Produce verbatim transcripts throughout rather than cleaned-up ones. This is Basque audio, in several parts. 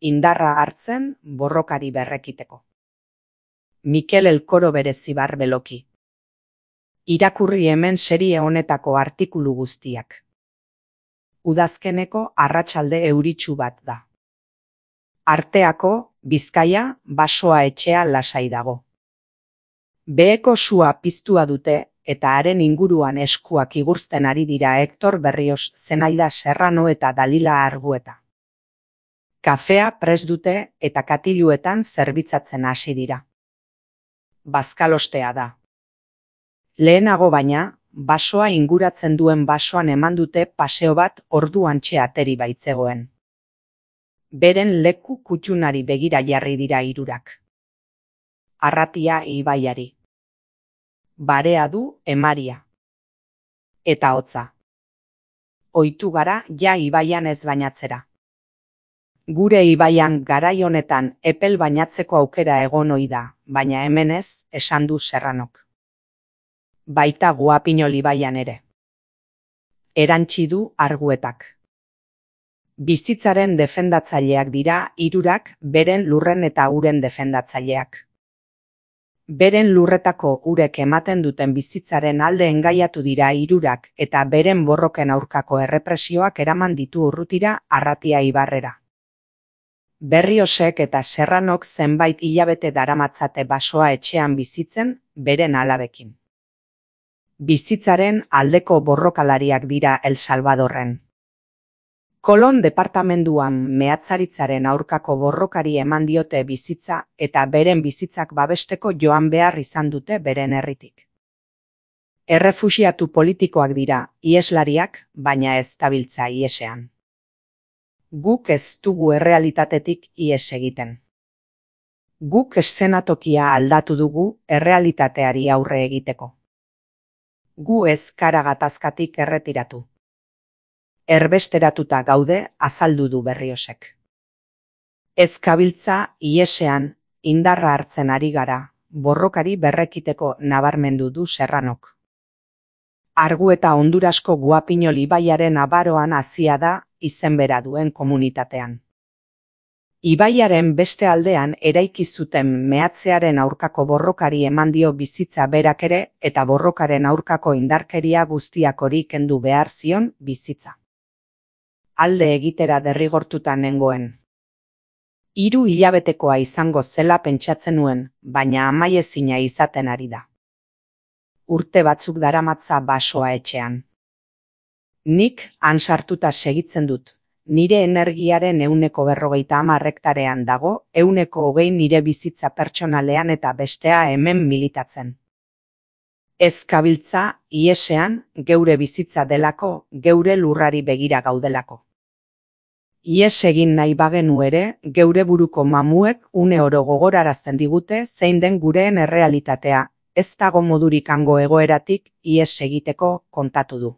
indarra hartzen borrokari berrekiteko. Mikel Elkoro Berezibar Beloki. Irakurri hemen serie honetako artikulu guztiak. Udazkeneko arratsalde euritsu bat da. Arteako, Bizkaia, basoa etxea lasai dago. Beheko sua piztua dute eta haren inguruan eskuak igurzten ari dira Hektor Berrios, Zenaida Serrano eta Dalila Argueta. Kafea prest dute eta katiluetan zerbitzatzen hasi dira. Bazkalostea da. Lehenago baina, basoa inguratzen duen basoan eman dute paseo bat orduantxe ateri baitzegoen. Beren leku kutxunari begira jarri dira hirurak. Arratia ibaiari. Barea du emaria. Eta hotza. Ohitu gara ja ibaian ez bainatzera. Gure ibaian garai honetan epel bainatzeko aukera egon ohi da, baina hemen ez, esan du Serranok. Baita Guapinol ibaian ere. Erantsi du Arguetak. Bizitzaren defendatzaileak dira hirurak, beren lurren eta uren defendatzaileak. Beren lurretako urek ematen duten bizitzaren alde engaiatu dira hirurak eta beren borroken aurkako errepresioak eraman ditu urrutira Arratia ibarrera. Berriosek eta Serranok zenbait hilabete daramatzate basoa etxean bizitzen beren alabekin. Bizitzaren aldeko borrokalariak dira El Salvadorren. Kolon departamenduan mehatzaritzaren aurkako borrokari eman diote bizitza eta beren bizitzak babesteko joan behar izan dute beren herritik. Errefuxiatu politikoak dira, iheslariak, baina ez dabiltza ihesean. Guk ez dugu errealitatetik ihes egiten. Guk eszenatokia aldatu dugu errealitateari aurre egiteko. Gu ez kara gatazkatik erretiratu. Erbesteratuta gaude, azaldu du Berriosek. Ez gabiltza ihesean indarra hartzen ari gara, borrokari berrekiteko nabarmendu du Serranok. Argueta Hondurasko Guapinol ibaiaren abaroan hazia da izen bera duen komunitatean. Ibaiaren beste aldean eraiki zuten mehatzearen aurkako borrokari eman dio bizitza berak ere eta borrokaren aurkako indarkeria guztiak hori kendu behar zion bizitza. Alde egitera derrigortuta nengoen. Hiru hilabetekoa izango zela pentsatzen nuen, baina amaiezina izaten ari da. Urte batzuk daramatza basoa etxean. Nik han sartuta segitzen dut. Nire energiaren ehuneko berrogeita hamar hektarean dago, ehuneko hogei nire bizitza pertsonalean eta bestea hemen militatzen. Ez gabiltza ihesean geure bizitza delako, geure lurrari begira gaudelako. Ihes egin nahi bagenu ere, geure buruko mamuek une oro gogorarazten digute zein den gureen errealitatea, ez dago modurik hango egoeratik ihes egiteko kontatu du.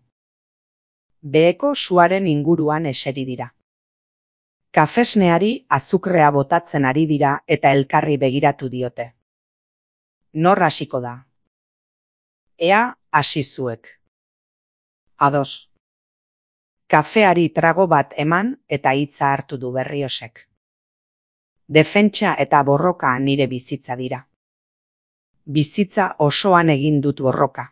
Beheko suaren inguruan eseri dira. Kafesneari azukrea botatzen ari dira eta elkarri begiratu diote. Nor hasiko da? Ea hasi zuek. Ados. Kafeari trago bat eman eta hitza hartu du Berriosek. Defentsa eta borroka nire bizitza dira. Bizitza osoan egin dut borroka.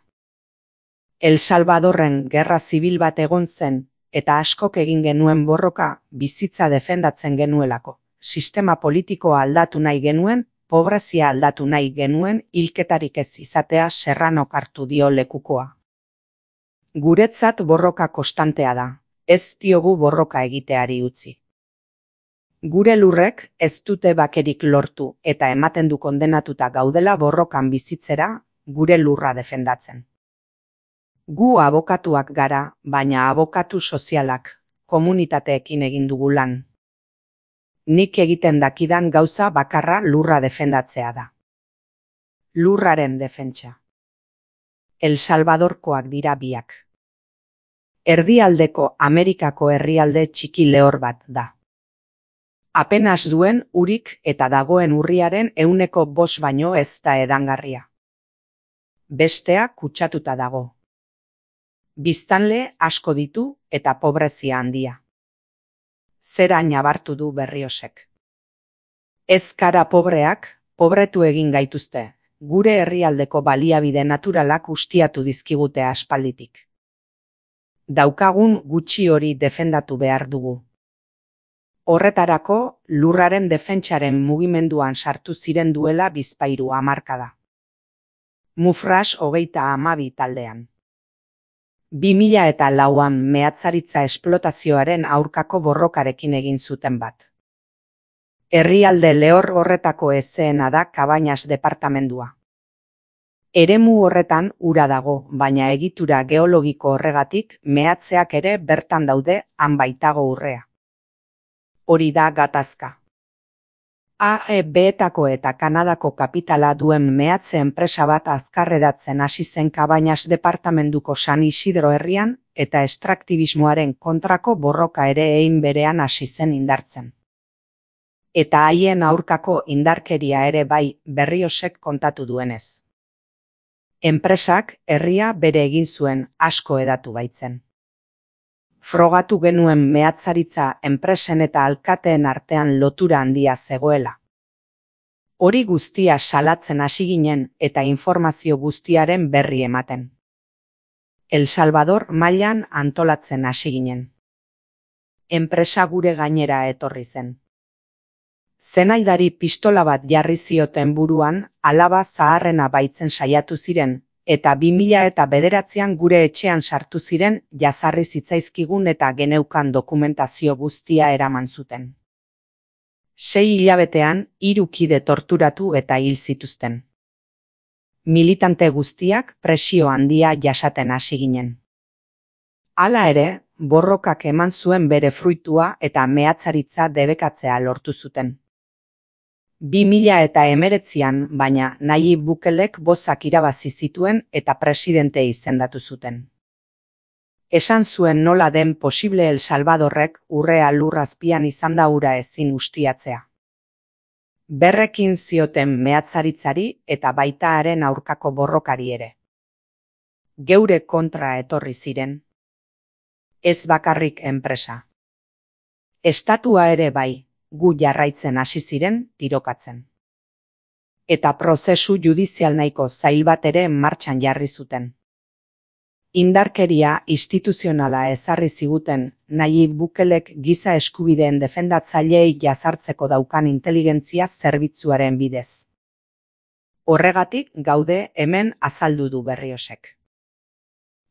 El Salvadorren gerra zibil bat egon zen eta askok egin genuen borroka bizitza defendatzen genuelako. Sistema politikoa aldatu nahi genuen, pobrezia aldatu nahi genuen, hilketarik ez izatea Serranok hartu dio lekukoa. Guretzat borroka konstantea da. Ez diogu borroka egiteari utzi. Gure lurrek ez dute bakerik lortu eta ematen du kondenatuta gaudela borrokan bizitzera, gure lurra defendatzen. Gu abokatuak gara, baina abokatu sozialak, komunitateekin egin dugu lan. Nik egiten dakidan gauza bakarra lurra defendatzea da. Lurraren defentsa. El Salvadorkoak dira biak. Erdialdeko Amerikako herrialde txiki lehor bat da. Apenas duen urik eta dagoen urriaren ehuneko bost baino ez da edangarria. Bestea kutsatuta dago. Biztanle asko ditu eta pobrezia handia. Zera nabartu du Berriosek. Ez gara pobreak, pobretu egin gaituzte, gure herrialdeko baliabide naturalak ustiatu dizkigute aspalditik. Daukagun gutxi hori defendatu behar dugu. Horretarako, lurraren defentsaren mugimenduan sartu ziren duela bizpahiru hamarkada. Mufras hogeita hamabi taldean. bi mila eta lauan meatzaritza esplotazioaren aurkako borrokarekin egin zuten bat. Herrialde lehor horretako ezeena da Cabañas departamendua. Eremu horretan ura dago, baina egitura geologiko horregatik meatzeak ere bertan daude, han baitago urrea. Hori da gatazka. A E B-etako eta Kanadako kapitala duen meatze enpresa bat azkarredatzen hasi zen Cabañas departamenduko San Isidro herrian eta estraktibismoaren kontrako borroka ere hein berean hasi zen indartzen. Eta haien aurkako indarkeria ere bai, Berriosek kontatu duenez. Enpresak herria bere egin zuen, asko hedatu baitzen. Frogatu genuen meatzaritza enpresen eta alkateen artean lotura handia zegoela. Hori guztia salatzen hasi ginen eta informazio guztiaren berri ematen. El Salvador mailan antolatzen hasi ginen. Enpresa gure gainera etorri zen. Zenaidari pistola bat jarri zioten buruan, alaba zaharrena baitzen saiatu ziren, eta bi mila eta bederatzian gure etxean sartu ziren jazarri zitzaizkigun eta geneukan dokumentazio guztia eraman zuten. Sei hilabetean hiru kide torturatu eta hil zituzten. Militante guztiak presio handia jasaten hasi ginen. Hala ere, borrokak eman zuen bere fruitua eta meatzaritza debekatzea lortu zuten. bi mila eta hemeretzian, baina Nayib Bukelek bozak irabazi zituen eta presidente izendatu zuten. Esan zuen nola den posible El Salvadorrek urrea lurrazpian izanda ura ezin ustiatzea. Berrekin zioten meatzaritzari eta baita haren aurkako borrokari ere. Geure kontra etorri ziren. Ez bakarrik enpresa. Estatua ere bai. Gu jarraitzen hasi ziren tirokatzen. Eta prozesu judizial nahiko zail bat ere martxan jarri zuten. Indarkeria instituzionala ezarri ziguten Nayib Bukelek giza eskubideen defendatzaileei jazartzeko daukan inteligentzia zerbitzuaren bidez. Horregatik gaude hemen azaldu du Berriosek.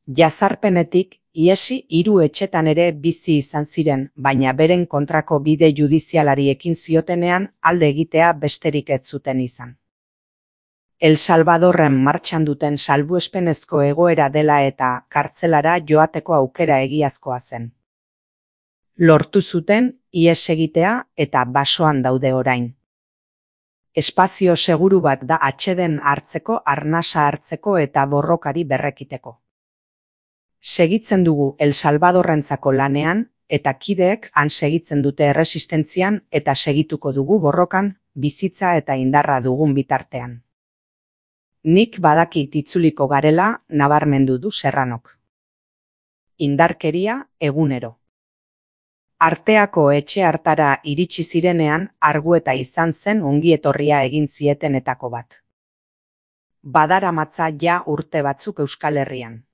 Jazarpenetik iesi hiru etxetan ere bizi izan ziren, baina beren kontrako bide judizialari ekin ziotenean alde egitea besterik ez zuten izan. El Salvadorren martxan duten salbuespenezko egoera dela eta kartzelara joateko aukera egiazkoa zen. Lortu zuten ihes egitea eta basoan daude orain. Espazio seguru bat da atseden hartzeko, arnasa hartzeko eta borrokari berrekiteko. Segitzen dugu El Salvadorrentzako lanean, eta kideek han segitzen dute erresistentzian eta segituko dugu borrokan, bizitza eta indarra dugun bitartean. Nik badakit itzuliko garela, nabarmendu du Serranok. Indarkeria egunero. Arteako etxe hartara iritsi zirenean, Argueta izan zen ongietorria egin zietenetako bat. Badaramatza ja urte batzuk Euskal Herrian.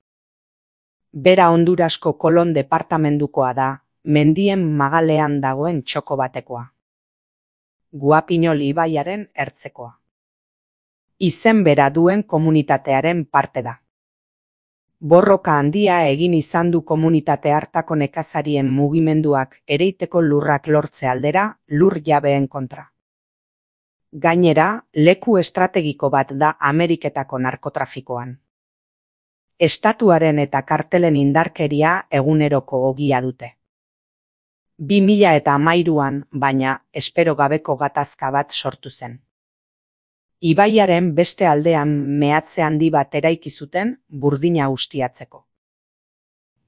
Bera Hondurasko Kolon departamendukoa da, mendien magalean dagoen txoko batekoa. Guapinol ibaiaren ertzekoa. Izen bera duen komunitatearen parte da. Borroka handia egin izan du komunitate hartako nekazarien mugimenduak ereiteko lurrak lortze aldera, lur jabeen kontra. Gainera, leku estrategiko bat da Ameriketako narkotrafikoan. Estatuaren eta kartelen indarkeria eguneroko ogia dute. Bi mila eta hamairuan, baina, espero gabeko gatazka bat sortu zen. Ibaiaren beste aldean meatze handi bat eraiki zuten burdina ustiatzeko.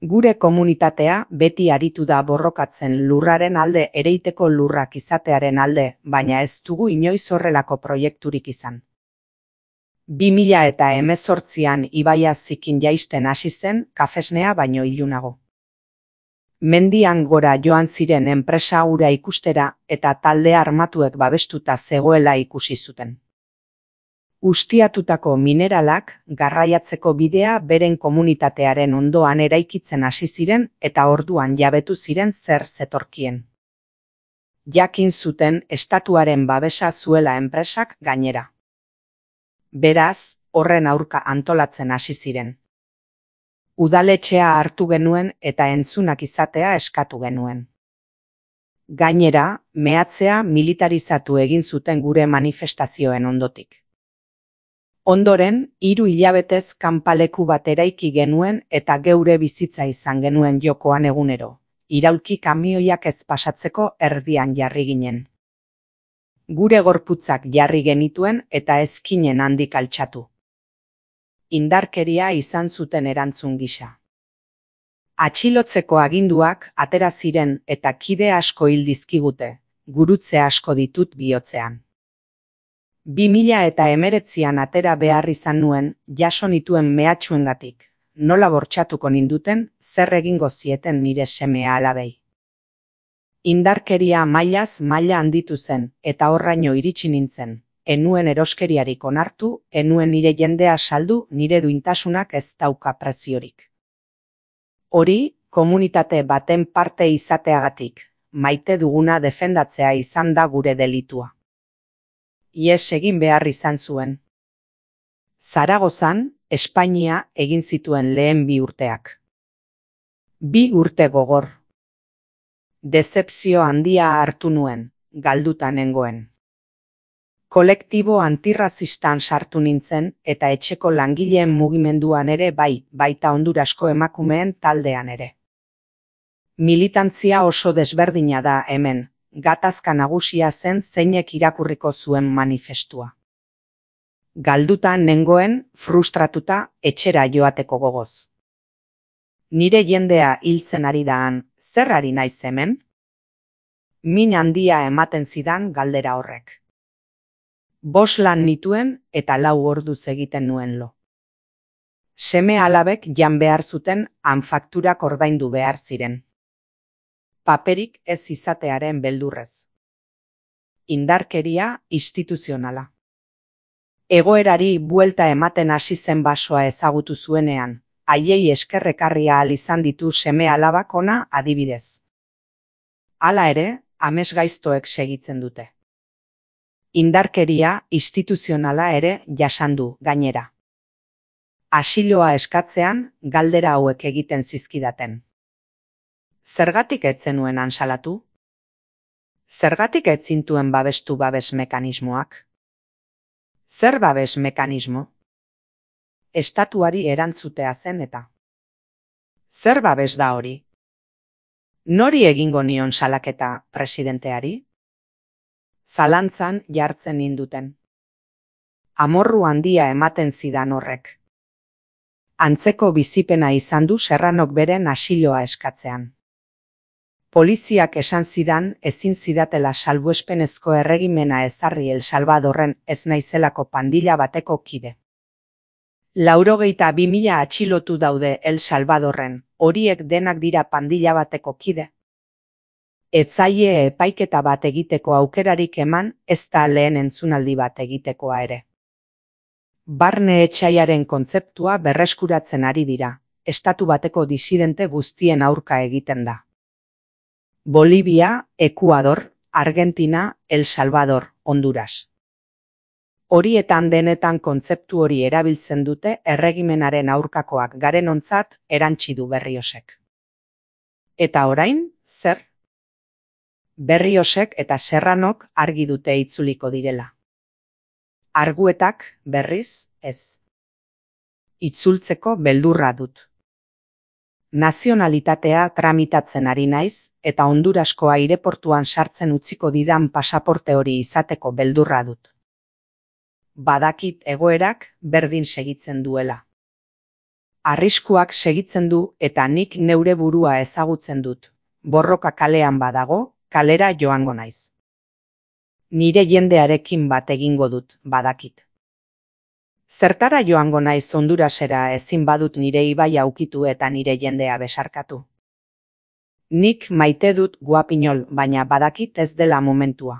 Gure komunitatea beti aritu da borrokatzen lurraren alde ereiteko lurrak izatearen alde, baina ez dugu inoiz horrelako proiekturik izan. Bi mila eta hemezortzian ibaia zikin jaisten hasi zen kafesnea baino ilunago. Mendian gora joan ziren enpresa hura ikustera eta talde armatuek babestuta zegoela ikusi zuten. Ustiatutako mineralak garraiatzeko bidea beren komunitatearen ondoan eraikitzen hasi ziren eta orduan jabetu ziren zer zetorkien. Jakin zuten estatuaren babesa zuela enpresak gainera. Beraz, horren aurka antolatzen hasi ziren. Udaletxea hartu genuen eta entzunak izatea eskatu genuen. Gainera, mehatzea militarizatu egin zuten gure manifestazioen ondotik. Ondoren, hiru hilabetez kanpaleku bat eraiki genuen eta geure bizitza izan genuen jokoan egunero. Iraulki kamioiak ez pasatzeko erdian jarri ginen. Gure gorputzak jarri genituen eta ezkinen handik altxatu. Indarkeria izan zuten erantzun gisa. Atxilotzeko aginduak atera ziren eta kide asko hil dizkigute, gurutze asko ditut bihotzean. Bi mila eta hemeretzian atera behar izan nuen, jaso nituen mehatxuengatik, nola bortxatuko ninduten, zer egingo zieten nire semea alabei. Indarkeria mailaz maila handitu zen, eta horraino iritsi nintzen, enuen eroskeriarik onartu, enuen nire jendea saldu, nire duintasunak ez dauka preziorik. Hori, komunitate baten parte izateagatik, maite duguna defendatzea izan da gure delitua. Ies egin behar izan zuen. Zaragozan, Espainia egin zituen lehen bi urteak. Bi urte gogor. Dezepzio handia hartu nuen, galduta nengoen. Kolektibo antirrazistan sartu nintzen eta etxeko langileen mugimenduan ere bai, baita Hondurasko emakumeen taldean ere. Militantzia oso desberdina da hemen. Gatazka nagusia zen zeinek irakurriko zuen manifestua. Galduta nengoen, frustratuta, etxera joateko gogoz. Nire jendea hiltzen ari daan, zer ari naiz hemen? Min handia ematen zidan galdera horrek. Bos lan nituen eta lau orduz egiten nuen lo. Seme alabek jan behar zuten han fakturak ordaindu behar ziren. Paperik ez izatearen beldurrez. Indarkeria instituzionala. Egoerari buelta ematen hasi zen basoa ezagutu zuenean, haiei eskerrekarria ahal izan ditu seme alabak ona adibidez. Hala ere, amesgaiztoek segitzen dute. Indarkeria instituzionala ere jasandu gainera. Asiloa eskatzean galdera hauek egiten zizkidaten. Zergatik ez zenuen ansalatu? Zergatik ez zintuen babestu babes mekanismoak? Zer babes mekanismo? Estatuari erantzutea zen eta. Zer babes da hori? Nori egingo nion salaketa presidenteari? Zalantzan jartzen ninduten. Amorru handia ematen zidan horrek. Antzeko bizipena izan du Serranok beren asiloa eskatzean. Poliziak esan zidan ezin zidatela salbuespenezko erregimena ezarri El Salvadorren ez naizelako pandilla bateko kide. Laurogeita bi mila atxilotu daude El Salvadorren, horiek denak dira pandilla bateko kide. Etzaie epaiketa bat egiteko aukerarik eman, ez da lehen entzunaldi bat egitekoa ere. Barne etxaiaren kontzeptua berreskuratzen ari dira, estatu bateko disidente guztien aurka egiten da. Bolivia, Ekuador, Argentina, El Salvador, Honduras. Horietan denetan kontzeptu hori erabiltzen dute erregimenaren aurkakoak garenontzat erantsi du Berriosek. Eta orain, zer? Berriosek eta Serranok argi dute itzuliko direla. Arguetak, berriz, ez. Itzultzeko beldurra dut. Nazionalitatea tramitatzen ari naiz eta Hondurasko aireportuan sartzen utziko didan pasaporte hori izateko beldurra dut. Badakit egoerak berdin segitzen duela. Arriskuak segitzen du eta nik neure burua ezagutzen dut. Borroka kalean badago, kalera joango naiz. Nire jendearekin bat egingo dut, badakit. Zertara joango naiz Hondurasera ezin badut nire ibaia ukitu eta nire jendea besarkatu. Nik maite dut guapinol, baina badakit ez dela momentua.